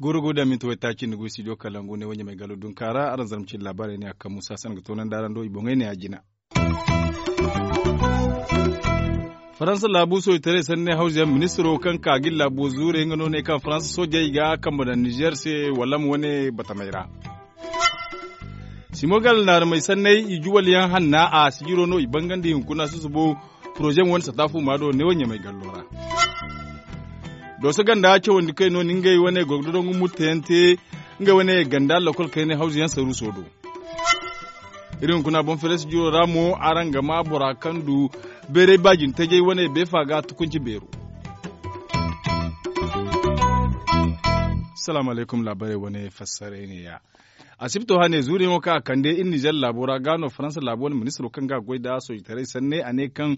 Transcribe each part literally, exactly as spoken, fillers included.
Goro go da minti waytaaci nda go studio kalangu ne wo ɲamay galo dunka ra araŋ zarma cine laabaarey ne a kaŋ musa sanda ga toonandi araŋ do i boŋey ne a jina. Faransa laabu soojitaray sanni hawza yaŋ ministiro kaŋ ka ga iri laabo zuurey nga no ne kaŋ faransa soojey ga kambe daŋ nizeer se wala ma wane batamey ra. Simogal naaramey sanney i juwal yaŋ hanna a sijiro no i bangandi hunkuna susubo poroze ma wane sata fuuma do neewo ɲamay gallo ra. Dooso ganda cawandi kay no ni ngey wane gorgodongu murtayaŋ te ngey wane ganda lokol kayne hawza yaŋ saruuso do. Iri hunkuna boŋ feres jiro ra mo araŋ ga ma bora kaŋ du beeray baajin tajay wane beefa ga tukunci beero. Salaamu alaykum laabarey wane fassaray ne ya. Asibto hane zuuriyaŋo kaŋ a kande iri nizer laabo ra ga no faransa laabo wane ministiro kaŋ ga a goy nda soojitaray sanne a ne kaŋ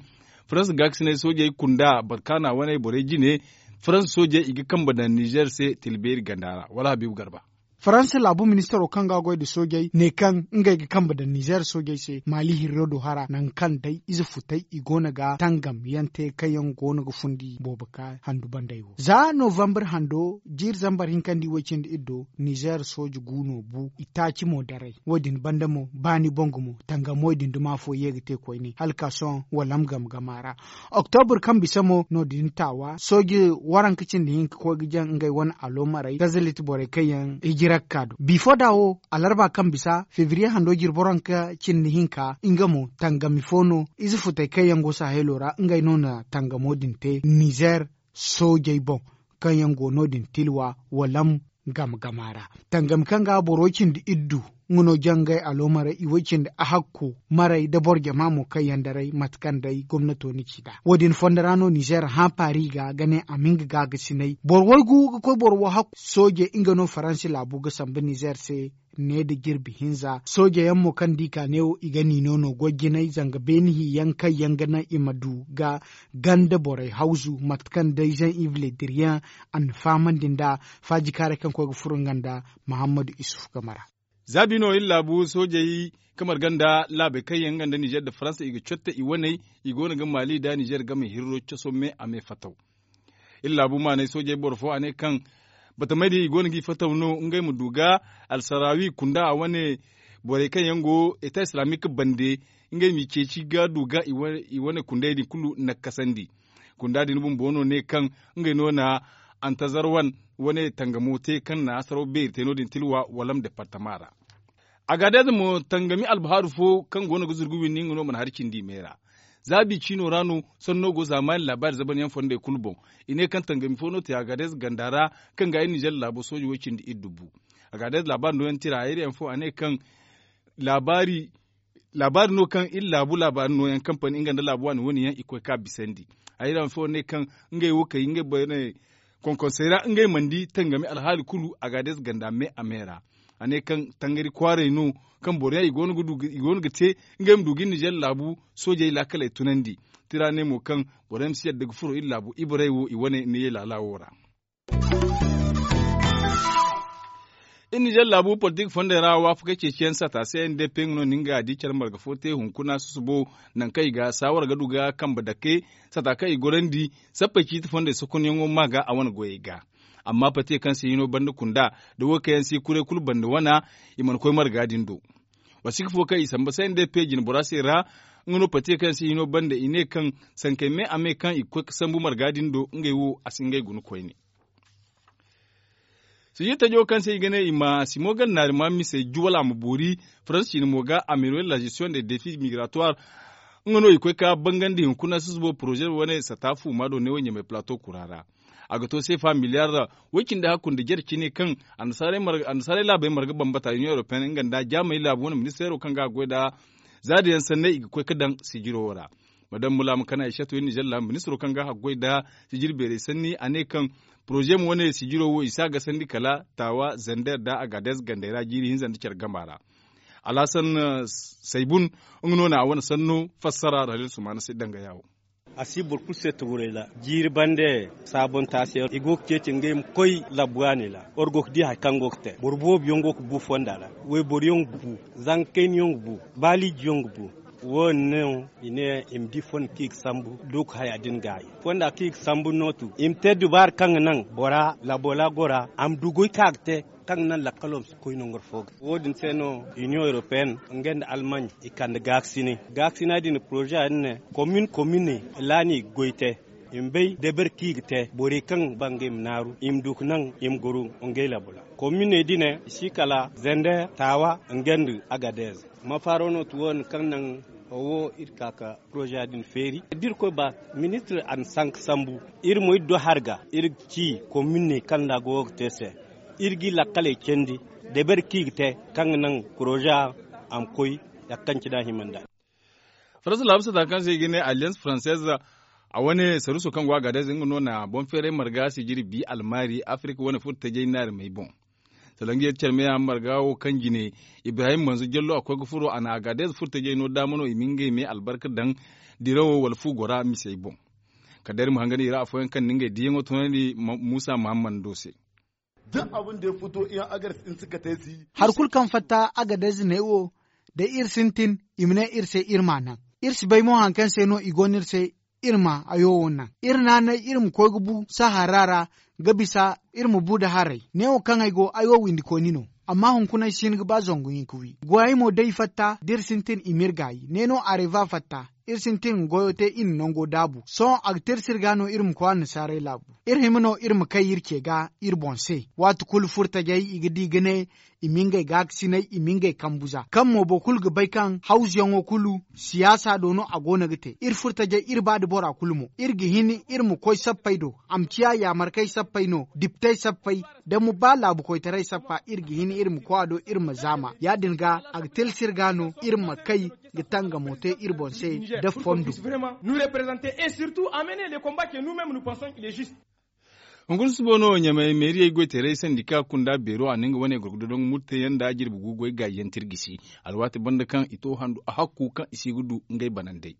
faransa gaakasinay soojey kunda barkaana wane borey jine faransa soojey i ga kambe daŋ nizer se tila beeri ganda ra wala habiibu garba. Faransa laabu ministaro kaŋ ga a goy nda soojey ne kaŋ ngey ga kambe daŋ nizer soojey se maali hirro do hara nangu kaŋ day ize futay i go no ga tangam yaŋ te kaŋ yaŋ go no ga fundi boobo ka handu banday wo za novambar hando jiiri zambar hinkandi way- cindi iri do nizer sooje gu no bu itaaci mo daray wo- din banda mo baani boŋ gumo tangamoy din duma fo ye ga te koyne hala ka sohõ walam gama gama ra. Oktobur kaŋ bisa mo no- din taawa sooje waranka cindi hinka koy ga jaŋ ngey wane aloomarey gazalit borey kaŋ yaŋ hijira ga ka do bifo da wo alarba kaŋ bisa febriye hando jirbi waranka cindi hinka nga mo tangami fo no ize futey kaŋ yaŋ go sahelo ra ngey no na tangamo din te nizer soojey boŋ kaŋ yaŋ go no- din tilwa walam gama gama ra. Tangami kaŋ ga boro cindi iddu nga no jangay alooma ra i way cindi ahakku maray da boro jama mo kaŋ yaŋ daray mate kaŋ day gomnato na ci nd'a wo- din fondo ra no nizer hã paari ga ga ne a ma nga gaagasinay boro waygu ga koy boro wo hakku sooje nga no faransi laabu ga sambu nizer se ne nda jirbi hinza sooje yaŋ mo kaŋ da i ka neewo i ga niino no goy jinay zanga beeni hi yaŋ kaŋ yaŋ ga naŋ i ma du ga ganda borey hawzu mate kaŋ day zaŋ ivle diriyaŋ a na fahamandi nd'a faajikaaray kaŋ koy ga furo nga nda mahammadu isuf game ra. Za bi no iri laabu soojey kaŋ marga nda laabey kaŋ yaŋ nga nda nizer nda faransa i ga cotte i waney i go no ga maali nda nizer game hirro coso me a me fataw. Iri laabu maanay soojey boro fo a ne kaŋ batamey din i go no g'i fataw no ngey ma du ga alsaraawi kunda a wane borey kaŋ yaŋ go eta islaamik bande ngey m'i ceeci ga du ga i wane kundey din kulu nakkasandi. Kunda din bumbo no ne kaŋ ngey no na antazarwan wane tangamo te kaŋ na saraw beeri te no- din tilwa walam departama ra. Agadez mo tangami albahaaru fo kaŋ go no ga zurgu winni nga no mana hari cindi i me ra. Za bi ciino ra no sanno go zaamaani laabaari zaban yaŋ fondey kulu boŋ. I ne kaŋ tangami fo no te agadez ganda ra kaŋ ga ay nizer laabo sooji way cindi iddu bu. Agadez laabaari no yaŋ tira hayri yaŋ fo a ne kaŋ laabaari laabaari no kaŋ iri laabu laabaari no yaŋ kampani nga nda laabu waani wane yaŋ i koy ka bisandi. Hayri yaŋ fo ne kaŋ ngey wo kay ngey borey ne konkonsey ra ngey mana di tangami alhaali kulu agadez ganda me a me ra. A ne kaŋ tangari kwaaray no kaŋ boro yaŋ i go no ga te ngey ma du ga iri nizer laabu soojey laakaley tunandi. Tira ne mo kaŋ boro yaŋ ma si yadda ga furo iri laabu ibarey wo i wane ne ye laala wo ra. Iri nizer laabu politik fondey ra waafaka ceeciyaŋ sata se n d p nga no ni nga di care marga fo te hunkuna susubo nangu kaŋ i ga saawara ga du ga kambe dake sata kaŋ i gorandi sappey ciiti fondey sokonyaŋo ma ga a wane goyey ga. Amma pate kaŋ se hino banda kunda da wo kaŋ yaŋ si kuray kulu banda wana i mana koy marga din do. Wasika fo kaŋ i samba se n d p jine bora se ra nga no pate kaŋ se hino banda i ne kaŋ sankey me a me kaŋ i ga koy ga sambu marga din do ngey wo a si ngey guna koyne. Sijir tajo kaŋ se i ga ne i ma simo ganda naari ma misey juwal a ma boori faransi ciine mo ga ameroyel la gestion de defi migratoire nga no i koy ka bangandi hunkuna susubo poroze wane sata fuuma do ne wo ɲamay plato kura ra. A ga to seefa miliyar way cindi hakku nda jare cine kaŋ annasaarey laabey marga bambata union europeen nga nda jaamey laabu wane ministeero kaŋ ga a goy nda zaada yaŋ sanney i ga koy ga daŋ sijiro wo ra. Madam mulaama kana ay shat way nizer laabu ministiro kaŋ ga a goy nda sijir beerey sanni a ne kaŋ poroze mo wane sijiro wo i si a gasandi kala taawa zander nda agaadez gandey ra jiiri hinza nda care gama ra. Alhasan saybun nga no na a wane sanno fassara ra haliil sumaana se danga yaawo. A si boro kulu se tuguray ra. Jiiri bande, saabontaasiyaŋ i go ga ceeci ngey ma koy labbu waani ra. War go ga di hari kaŋ go ga te, boro boobo yaŋ go ga bu fonda ra. Wayboro yaŋ ga bu, zanka kayna yaŋ ga bu, baaliiji yaŋ ga bu. Wo- din no i ne i ma di fonda kaŋ i ga sambu, dooku haya din gaayi. Fonda kaŋ i ga sambu no tu i ma te dubaara kaŋ ga naŋ bora labbo ra gora a ma du goy kaŋ a ga te, kaŋ ga naŋ lakkalo ma si koy nangu fo ga. Wo- din se no, iniyoŋ europeyenne nga nda almany i kande gaakasinay. Gaakasinay din poroze din ne, komin komin ra no i ga goy te. I ma bay deber kaŋ i ga te borey kaŋ ba ngey ma naaru i ma du ga naŋ i ma goro ngey labbo ra. Kominey din ne i si kala zender, taawa, nga nda agadez. Mafaaro no ti wo- din kaŋ naŋ wo iri ka ga poroze din feeri. Da irkoy ba, ministir a na sanka sambu. Iri mo iri do hari ga iri ga ci kominey kaŋ ra go ga te se. Iri g'i lakkaley candi, deber kaŋ i ga te, kaŋ ga naŋ poroze a ma koy, ya kaŋ cine a hima nd'a. Faransa laabu sata kaŋ se i ga ne alliance française, a wane saruuso kaŋ go a ga day nga no na boŋ feeray marga sijiri bi almaari afirka wane furo tajay naari may boŋ. Salangiya care meya marga wo kaŋ jine, ibrahim manzo jallo a koy ga furo a na a ga day furo tajay no daama no i ma ngey me albarka daŋ, dirawo wala fu gora misey boŋ. Kala day iri ma hangan i ra afooyaŋ kaŋ na ngey diyaŋo tunandi, muusa mahammando se. Hari kulu kaŋ fatta agadez ne wo, da iri sintin, i ma ne iri se iri m'a naŋ. Iri si bay mo hari kaŋ se no i go no iri se, iri ma hayo wo naŋ. Iri naanay iri ma koy ga bu sahara ra, ga bisa iri ma bu nda haray. Ne wo kaŋ ay go ay wo windikooni no. Amma hunkuna ay si hin ga ba zangu hinka wi goyey mo day fatta da iri sintin i m'iri gaayi ne no areva fatta. Iri sintin ga goyo te iri na nango daabu sohõ a ga te iri se iri ga no iri ma koy annasaarey laabu. Iri hima no iri ma kay iri ce ga iri boŋ se. Waati kulu furtajey i ga di ga ne, i ma ngey gaakasinay i ma ngey kambu za kaŋ mo boro kulu ga bay kaŋ hawzuyaŋo kulu siyaasa do no a go no ga te iri furtajey iri ba nda bora kulu mo iri ga hin iri ma koy sappey do. A ma ciya yaamarkey sappey no diptey sappey, da ma ba laabukoytaray sappa iri ga hin iri ma koy a do iri ma zaama ya- din ga a ga tilsi iri ga no iri ma kay ga tangamo te iri boŋ se. Da fondo. Hunkuna susubo no ɲamay meeriyey goy teeray sandika kunda beero a na nga wane gorgodo dongo murteyaŋ nda jirbi gu goy gaayi yaŋ tirgisi. Alwaati banda kaŋ i to handu a hakku kaŋ i si ga du ngey banandey.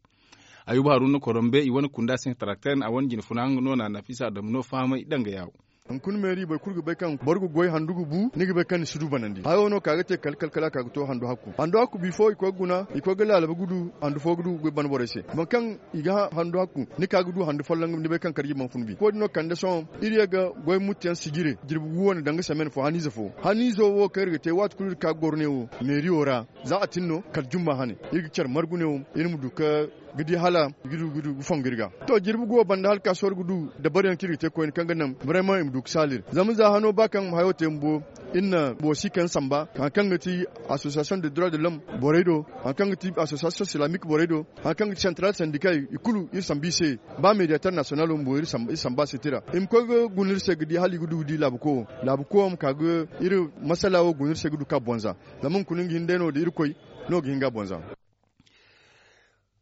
Ayuba haruna korombe i wane kunda se tarakter a wane jine funa nga no na nafisa adamu no fahamay danga yaawo. Hunkuna meeri boro kulu ga bay kaŋ boro ga goy handu ga bu ni ga bay kaŋ ni si du banandi hayo no ka ga te kala kala kala ka ga to handu hakku handu hakku bifo i koy ga guna i koy ga laalabu ga du handu fo ga du ga goy bana borey se. Boro kaŋ i ga handu hakku ni ka ga du handu folloŋ ni bay kaŋ karji mana fun bi ko- din no kande sohõ. Iri ye ga goy muttiyaŋ sijire jirbi gu wane danga semaine fo haniize fo haniizo wo kaŋ iri ga te waati kulu iri ka ga goro ne wo meeriyo ra. Za a tin no kala jumma hane iri ga care margu ne wo iri ma du ga di hala i ga du ga du ga fongu iri ga. To jirbi go banda hala ka sohõ iri ga du dabaryaŋ kaŋ iri ga te koyne kaŋ ga naŋ brema i ma du ga saali iri zama za hano ba kaŋ hayo te bumbo. Iri na boro si kaŋ samba hari kaŋ ga ti association de droit de l'homme borey do hari kaŋ ga ti association islamique borey do hari kaŋ ga ti central syndical i kulu iri sambu i se. Ba mediateur national bumbo iri samba se tira i ma koy ga guna iri se ga di hala i ga du ga di laabuko wo laabuko wo ma ka ga iri masala wo guna iri se ga du ka bonza. Zama hunkuna nga hin day no da irkoy no ga hin ga bonza.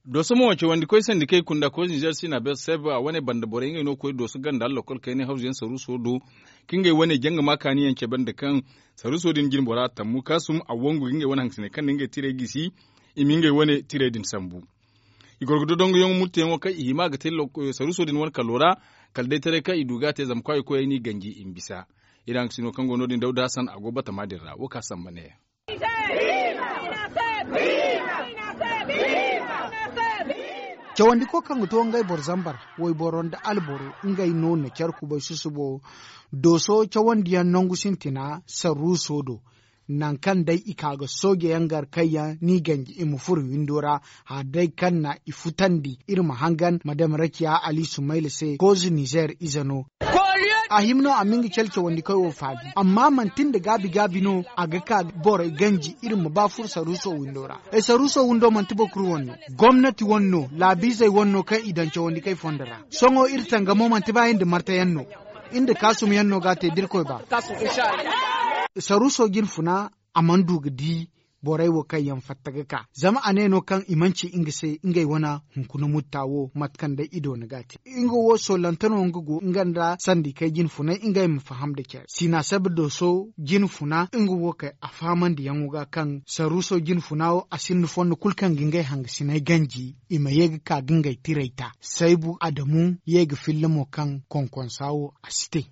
Dooso mo cawandi koy sandikey kunda koy nizer sina be seb a wane banda borey ngey no koy dooso ganda lokol kayne hawzuyaŋ saruuso do ka ngey wane janga ma kaaniyaŋ cabe nda kaŋ saruuso din jine bora tammu kaasum a wangu ga ngey wane hangasiney kaŋ na ngey tirey gisi. I ma ngey wane tirey din sambu. I goro ga dodongoyaŋo murteyaŋo kaŋ i hima ga te saruuso din wane kalo ra. Kala day taray kaŋ i du ga a te zama kwaayi koyey n'i ganji i ma bisa. Iri hangasino kaŋ go no- din dawda hasan a go batama din ra wo ka samba neeya. Cawandiko kaŋ ga to ngey boro zambar wayboro nda alboro ngey no na care kubay susubo. Dooso cawandiyaŋ nangu sintina sarruuso do. Nangu kaŋ day i ka ga soojeyaŋ gar kayyaŋ n'i ganji i ma furo windo ra. Hala day kaŋ na i futandi iri ma hangan madam rakiya ali sumayla se kooze nizer ize no. A hima no a ma nga care cawandikey wo faali amma manti nda gaabi gaabi no a ga ka borey ganji iri ma ba furo saruuso windo ra. Saruuso windo manti boro kulu wane no. Gomnati wane no laabiizey wane no kaŋ i daŋ cawandikey fondo ra. Sohõ iri tangamo manti ba iri nda martayaŋ no. Iri nda kaasumyaŋ no ga a te da irkoy ba. Saruuso jine funa a mana du ga di borey wo kaŋ yaŋ fatta ga ka zama a ne no kaŋ i mana ci nga se ngey wane hunkuna mutta wo mate kaŋ day i doona ga a te. Nga wo soolante no nga go nga nda sandikey jinfunay ngey ma faham nda care sina sabe dooso jinfuna nga wo kay a fahamandiyaŋo ga kaŋ saruuso jinfuna wo a sinda fondo kulu kaŋ ga ngey hangasiney ganji i ma ye ga ka ga ngey tirey ta saybu adamu ye ga filla mo kaŋ konkonsa wo a si te.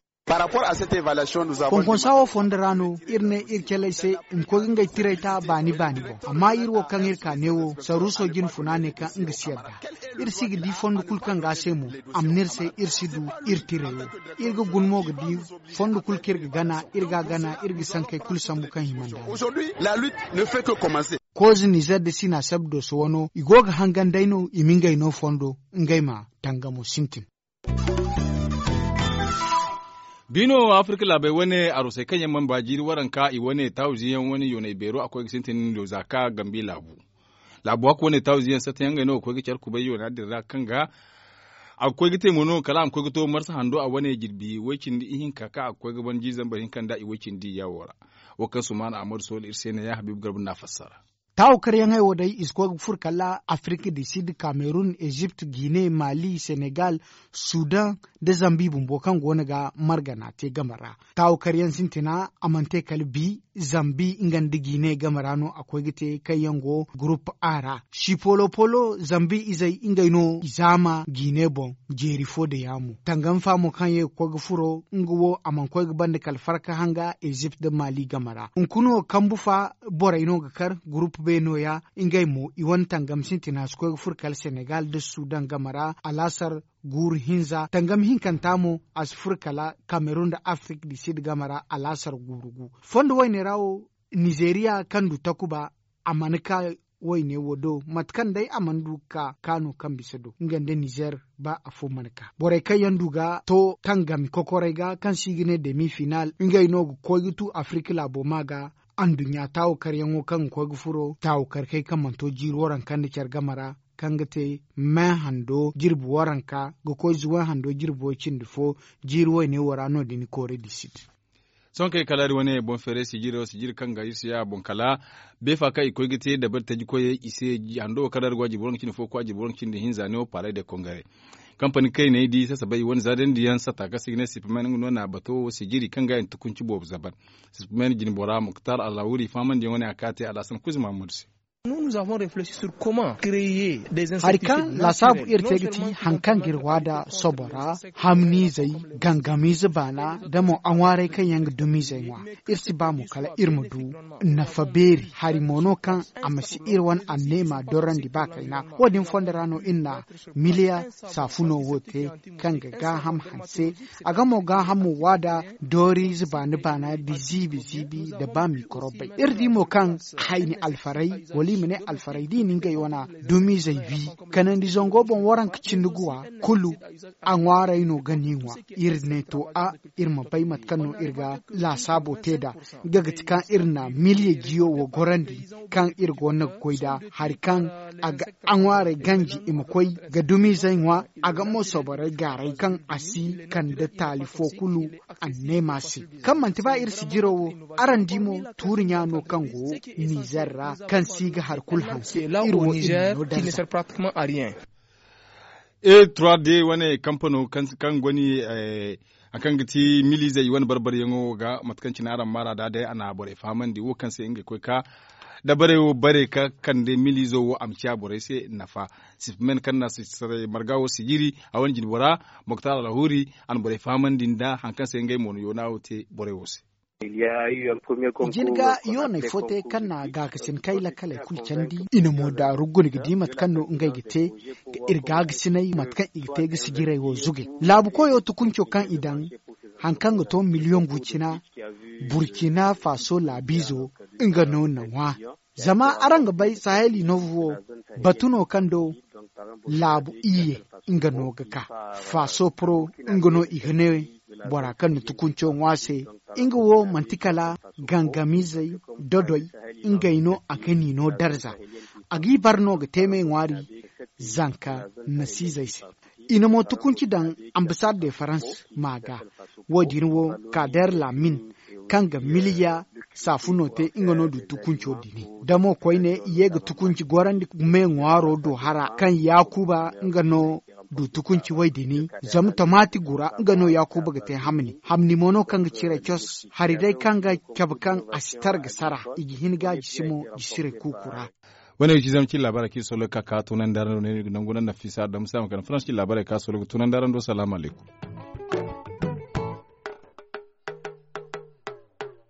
Konkonsa wo fondo ra no iri ne iri caley se i ma koy ga ngey tirey ta baani baani boŋ amma iri wo kaŋ iri ka neewo saruuso jinfuna ne kaŋ nga si yadda. Iri si ga di fondo kulu kaŋ ga a se mo a ma ne iri se iri si du iri tirey wo. Iri ga guna mo ga di fondo kulu kaŋ iri ga gana iri ga a gana iri ga sankey kulu sambu kaŋ hima nda a. Kooze nizer nda sina sabdo se wano i go ga hangan day no i ma ngey no fondo ngey ma tangamo sintin. Bi no afirka laabey wane arusey kaŋ yaŋ mana ba jiiri waranka i wane taawize yaŋ wane yoonay beero a koy ga sintin do za ka gambi laabu. Laabu hakku wane taawize yaŋ satta yaŋ ngey no ga koy ga care kubay yoona din ra kaŋ ga a ga koy ga te mo no kala a ma koy ga to marsa hando a wane jirbi way- cindi ihinka kaŋ a ga koy ga ban jiiri zambar hinka nda i way- cindi yaawo ra. Wo kaŋ sumaana ahmadu sohil iri se ne ya habiibu garba no a fassara. Taawo karyaŋey wo day i si koy ga furo kala afirka di sid kamerun ezipt gine mali senegal sudan nda zambi bumbo kaŋ go no ga margana te game ra. Taawo karyaŋ sintina a mana te kala bi zambi nga nda gine game ra no a koy ga te kaŋ yaŋ go gurup a ra. Sipolo polo zambi izey ngey no i zaama gine boŋ jeeri fo da yaamo tangam fa mo kaŋ ye ga koy ga furo nga wo a mana koy ga banda kala farka hanga ezipt nda mali game ra hunkuna wo kambu fa borey no ga kar gurup b nooya. Ngey mo i wane tangam sintina si koy ga furo kala senegal nda sudan game ra alaasar guuru hinza tangam hinkanta mo a si furo kala kamerun nda afirka di sid game ra alaasar guuru gu. Fondo wayne ra wo nizeriya kaŋ du takuba a mana ka wayne wo do mate kaŋ day a mana du ga ka kaano kaŋ bisa do nga nda nizer ba afo mana ka borey kaŋ yaŋ du ga to tangami kokorey ga kaŋ se i ga ne demi final ngey no ga koy ga tu afirka laabo ma ga. Anduɲɲa taawo karyaŋo kaŋ ga koy ga furo taawo karkey kaŋ mana to jiiri waranka nda care game ra kaŋ ga te me hando jirbi waranka ga koy zuway hando jirbi way- cindi fo jiiri wayne wo ra no- din koore di sit. Sohõ kaŋ ay kala iri wane boŋ feeray sijiri wo sijiri kaŋ ga iri si ya a boŋ kala beefa kaŋ i koy ga te dabari taji koyey i se hando wo kaŋ ra iri go a jirbi waranka cindi fo ga koy a jirbi waranka cindi hinza ne wo paaray day kongaray. Kampani kaŋ i ne ay di sasabay i wane zaadandi yaŋ satta kaŋ se i ga ne sipimen nga no na bato wo sijiri kaŋ ga i na tukunci boobo zaban. Sipimen jine bora muktar alhawuri fahamandi yaŋ wane a ka te alhasan kuzi mahammadu se. Hari kaŋ laasaabu iri te ga ti hari kaŋ ga iri waada sobo ra, hamniizey, gangamiize baana, da mo aŋwaarey kaŋ yaŋ ga dumiizey ŋwa. Iri si ba mo kala iri ma du nafa beeri hari mo no kaŋ a ma si iri wane anneema dorandi ba kayna. Wo- din fondo ra no iri na miliya saafuno wo te kaŋ ga gaaham hanse. A ga mo gaahamo waada dooriize baana baana da ziibi ziibi nda ba mikorobey iri di mo kaŋ hayni alfaray wala i ma ne alfaray da i na ngey wana dumiizey wi kanandi zango boŋ waranka cindi guwa kulu. A ŋwaaray no ga ni ŋwa iri ne to a iri ma bay mate kaŋ no iri ga laasaabo te nd'a. Nga ga ti kaŋ iri na miliya jiyo wo gorandi kaŋ iri go no ga goy nd'a hari kaŋ a ga a ŋwaaray ganji i ma koy ga dumiizey ŋwa. A ga mo soborey gaaray kaŋ a si kande taali fo kulu. Anneema se kaŋ manti ba iri sijiro wo araŋ di mo tuuri ɲa no kaŋ go nizer ra kaŋ si ga hari kulu hanse iri wo iri no darza. E trois d wane kampano kaŋ goni hari kaŋ ga ti miliizey i wane barbaryaŋo ga mate kaŋ cine araŋ maara da day a na borey fahamandi wo kaŋ se ngey koy ka dabarey wo bare ka kande miliizo wo a ma ciya borey se nafa. Sipimen kaŋ na marga wo sijiri a wane jinbora moktar alhuri a na borey fahamandi nda hari kaŋ se ngey mo na yoona wo te borey wo se. Jin ga yooney fo te kaŋ na gaakasin kay lakkaley kulu candi i na mo daaru guna ga di mate kaŋ no ngey ga te ga iri gaakasiney mate kaŋ i ga te ga sijirey wo zugay laabu koyo tukunco kaŋ i daŋ hari kaŋ ga to miliyoŋ gu cina burkina faso laabiizo nga no na ŋwa. Zama araŋ ga bay saheli noovu wo batu no kaŋ do laabu iyye nga no ga ka faso poro nga no i ga ne bora kaŋ na tukunco ŋwa se. Nga wo manti kala gangamiizey dodoy ngey no a ga ni no darza a g'i bar no ga te me ŋwaari zanka nasiizey se. I na mo tukunci daŋ ambasaad de farans ma ga wo- din wo kader lamin kaŋ ga miliya Saafuno te nga no du tukunco dini. Damo koyne i ye ga tukunci gorandi me ŋwaaro do hara kaŋ yaakuba nga no du tukunci way dini. Zama tomaati gura nga no yaakuba ga te hamni hamni mo no kaŋ ga cire cos hari day kaŋ ga cabe kaŋ a si tara ga sara. I ga hin ga a jisi mo jisirey kuuku ra. Wane ga ci zama cin laabaarey kaŋ i soloy ka ka tunandi araŋ do ne no i ga nangu naŋ nafisa adama si a ma kande faransi cin laabaarey kaŋ a soloy ga tunandi araŋ do salaamu alaykum.